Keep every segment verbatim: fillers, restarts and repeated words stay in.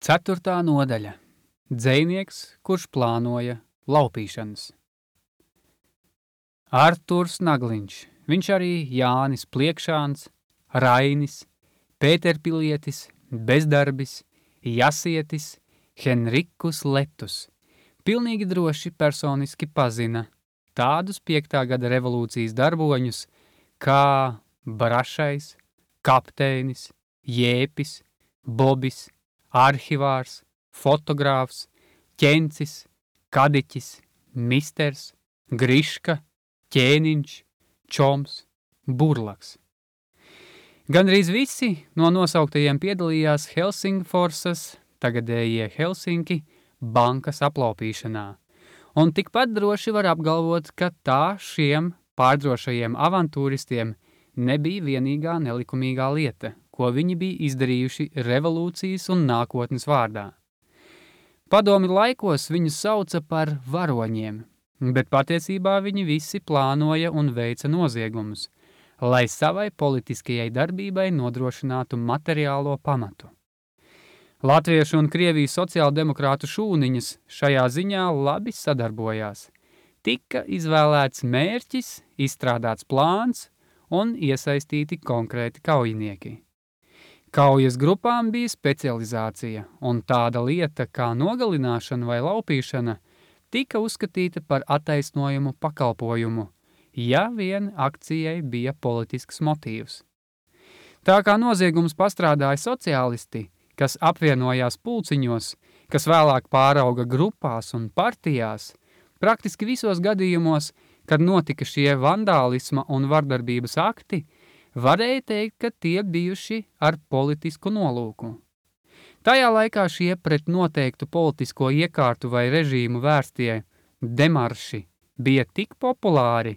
Ceturtā nodaļa. Dzejnieks, kurš plānoja laupīšanas. Arturs Nagliņš, viņš arī Jānis Pliekšāns, Rainis, Pēterpilietis, Bezdarbis, Jasietis, Henrikus Letus. Pilnīgi droši personiski pazina tādus piektā gada revolūcijas darboņus kā Brašais, Kapteinis, Jēpis, Bobis, Arhivārs, Fotogrāfs, Ķencis, Kadiķis, Misters, Griška, Ķēniņš, Čoms, Burlaks. Gandrīz visi no nosauktajiem piedalījās Helsingforsas, tagadējie Helsinki, bankas aplaupīšanā. Un tikpat droši var apgalvot, ka tā šiem pārdrošajiem avantūristiem nebija vienīgā nelikumīgā lieta, ko viņi bija izdarījuši revolūcijas un nākotnes vārdā. Padomi laikos viņus sauca par varoņiem, bet patiesībā viņi visi plānoja un veica noziegumus, lai savai politiskajai darbībai nodrošinātu materiālo pamatu. Latviešu un Krievijas sociāldemokrātu šūniņas šajā ziņā labi sadarbojās. Tika izvēlēts mērķis, izstrādāts plāns un iesaistīti konkrēti kaujinieki. Kaujas grupām bija specializācija, un tāda lieta kā nogalināšana vai laupīšana tika uzskatīta par attaisnojumu pakalpojumu, ja vien akcijai bija politisks motīvs. Tā kā noziegums pastrādāja sociālisti, kas apvienojās pulciņos, kas vēlāk pārauga grupās un partijās, praktiski visos gadījumos, kad notika šie vandālisma un vardarbības akti, varēja teikt, ka tie bijuši ar politisku nolūku. Tajā laikā šie pret noteiktu politisko iekārtu vai režīmu vērstie demarši bija tik populāri,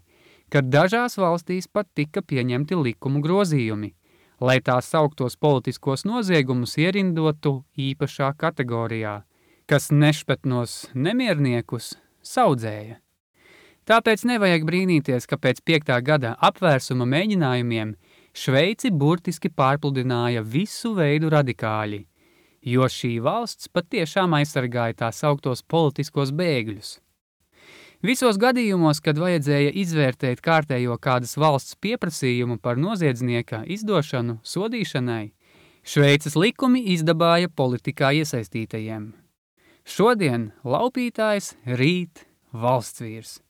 ka dažās valstīs pat tika pieņemti likumu grozījumi, lai tās sauktos politiskos noziegumus ierindotu īpašā kategorijā, kas nešpetnos nemierniekus saudzēja. Tāpēc nevajag brīnīties, ka pēc piektā gada apvērsuma mēģinājumiem Šveici burtiski pārpludināja visu veidu radikāļi, jo šī valsts patiešām aizsargāja tā sauktos politiskos bēgļus. Visos gadījumos, kad vajadzēja izvērtēt kārtējo kādas valsts pieprasījumu par noziedznieka izdošanu sodīšanai, Šveices likumi izdabāja politikā iesaistītajiem. Šodien laupītājs, rīt valstsvīrs.